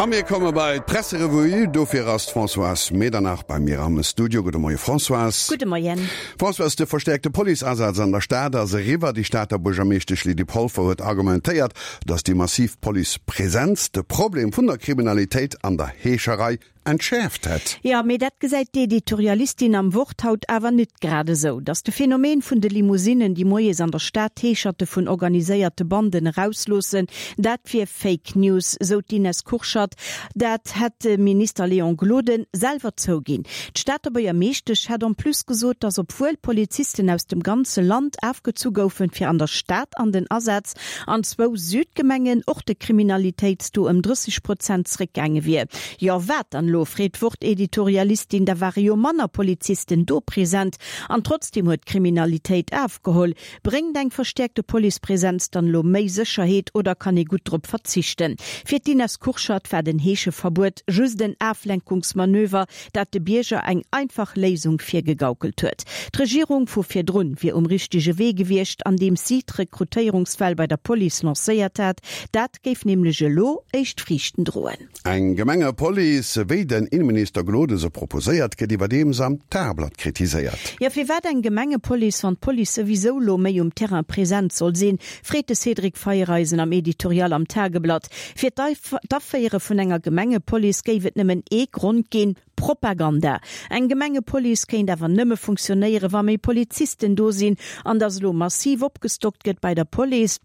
A mir komme bei d'Presserevue. Dofir ass d'Françoise Medernach bei mir am Studio. Gudde Moie Françoise. Gudde Moien. Françoise, de verstäerkte Policeasaz an der Stad ass eriwwer. Déi Stater Buergermeeschtesch Lydie Polfer huet argumentéiert, datt déi massiv Policepresenz de Problem vun der Kriminalitéit an der Heescherei entschäerft hätt. Jo, mee dat gesäit d'Editorialistin am Wort haut awer nit grad esou. Datt de Phänomen vun de Limousinnen, déi moies an der Stad d'Heescherte vun organiséierte Banden erausloossen, dat wier Fake News, sou d'Ines Kurschat. Dat hätt de Minister Léon Gloden selwer zouginn. D'Stater Buergermeeschtesch hätt en plus gesot, datt obwuel Polizisten aus dem ganze Land afgezu goufen, fir an der Stad an den Asaz An zwou Südgemengen och de Kriminalitéitstaux ëm 30 Prozent zréckgaange wier. Jo, wat dann elo? freet d'Wort-Editorialistin. Da ware jo manner Polizisten do present an trotzdeem huet d'Kriminalitéit afgeholl. Bréngt eng verstäerkte Policepresenz dann elo méi Sécherheet oder kann ee gutt drop verzichten? Fir d'Ines Kurschat war den Heescheverbuet just en Aflenkungsmanöver, dat de Bierger eng einfach Léisung virgegaukelt huet. D'Regierung vu virdrun wier um richtege Wee gewiescht, andeems si d'Rekrutéierungswell bei der Police lancéiert hat. Dat géif nämlech elo éischt Friichten droen. Eng Gemengepolice, wéi den Inneminister Gloden se proposéiert, gëtt iwwerdeems am Tageblatt kritiséiert. Jo, firwat eng Gemengepolice, wann d'Police souwisou elo méi um Terrain present soll sinn, freet de Cédric Feiereisen am Editorial am Tageblatt. Fir d'Aféiere vun enger Gemengepolice géif et nëmmen ee Grond ginn, Propaganda. Eng Gemengepolice kéint awer nëmme funktionéieren, wa méi Polizisten do sinn. An datt elo massiv opgestockt gëtt bei der Police,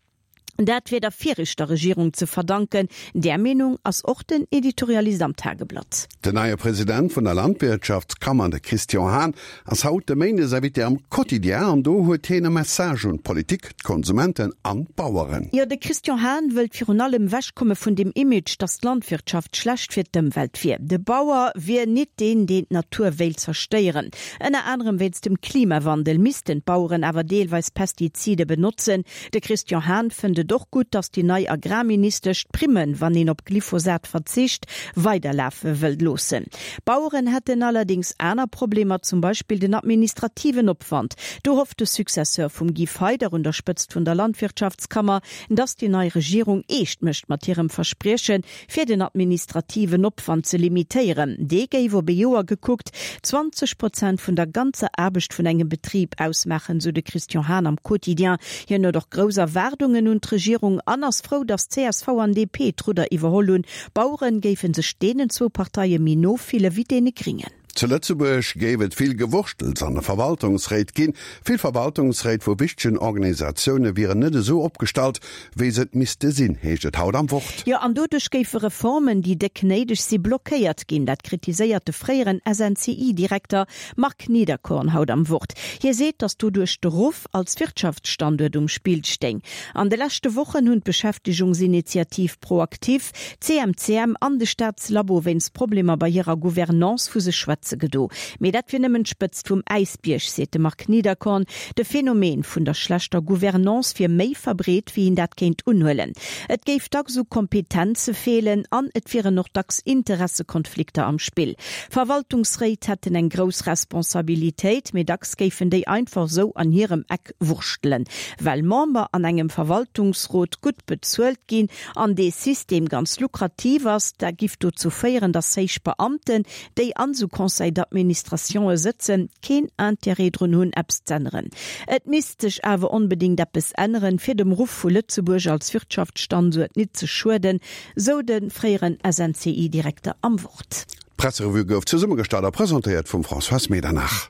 dat wier der viregter Regierung ze verdanken. Där Meenung ass och den Editorialist am Tageblatt. Den neie President vun der Landwirtschaftskammer, de Christian Hahn, ass haut de Méindesinvité am Quotidien an do huet hien e Message un d'Politik, d'Konsumenten an d'Baueren. Jo, de Christian Hahn wëllt virun allem ewechkomme vun dem Image, datt d'Landwirtschaft schlecht fir d'Ëmwelt wier. De Bauer wier nit deen, deen d'Natur wéilt zerstéieren. Ënner anerem wéinst dem Klimawandel missten d'Baueren awer deelweis Pestizide benotzen. De Christian Hahn fënnt et och gutt, datt déi nei Agrarministesch d'Primmen, wann een op Glyphosat verzicht, weiderlafe wëllt loossen. D'Baueren hätten allerdéngs aner Problemer, zum Beispill den administrativen Opwand. Do hofft de Successeur vum Guy Feyder un der Spëtzt vun der Landwirtschaftskammer, datt déi nei Regierung eescht mécht mat hirem Verspriechen, fir den administrativen Opwand ze limitéieren. Dee géif op ee Joer gekuckt 20 Prozent vun der ganzer Aarbecht vun engem Betrib ausmaachen, sou de Christian Hahn am Quotidien. Hien huet och grouss Erwaardungen un d'Regierung an ass frou, datt csv an DP d'Rudder iwwerholl hunn. D'Baueren géife sech deenen zwou Parteie méi no fille wéi deene Gringen. Zu Lëtzebuerg géif et vill Gewurschtels an de Verwaltungsréit ginn. Vill Verwaltungsréit vu wichtegen Organisatioune wieren net esou opgestallt, wéi se et misste sinn, heescht et haut am Wort. Jo, an doduerch géife Reformen, déi déck néideg si, blockéiert ginn. Dat kritiséiert de fréieren SNCI-Direkter Marc Niederkorn haut am Wort. Hie seet, datt doduerch de Ruff als Wirtschaftsstanduert um Spill stéing. An de leschte Wochen hunn d'Beschäftegungsinitiativ ProActif, D'CMCM an de Staatslabo wéinst Problemer bei hirer Gouvernance vu sech schwätze gedo. Mee dat wier nëmmen d'Spëtzt vum Äisbierg, seet de Marc Niederkorn. De Phänomen vun der schlechter Gouvernance wier méi verbreet, wéi een dat kéint unhuelen. Et géif dacks u Kompetenze feelen an et wieren och dacks Interessekonflikter am Spill. Verwaltungsréit hätten eng grouss Responsabilitéit, mee dacks géifen déi einfach esou an hirem Eck wurschtelen. Well Member an engem Verwaltungsrot gutt bezuelt ginn an dee System ganz lukrativ ass, dat giff dozou féieren, dass héich Beamten, déi an esou Conseils d'administrationë sëtzen, keen Intérêt drun hunn, eppes z'änneren. Et misst sech awer onbedéngt eppes änneren, fir dem Ruff vu Lëtzebuerg als Wirtschaftsstanduert nit ze schueden, sou de fréieren SNCI-Direkter am Wort. D'Presserevue gouf zesummegestallt a presentéiert vum Françoise Medernach.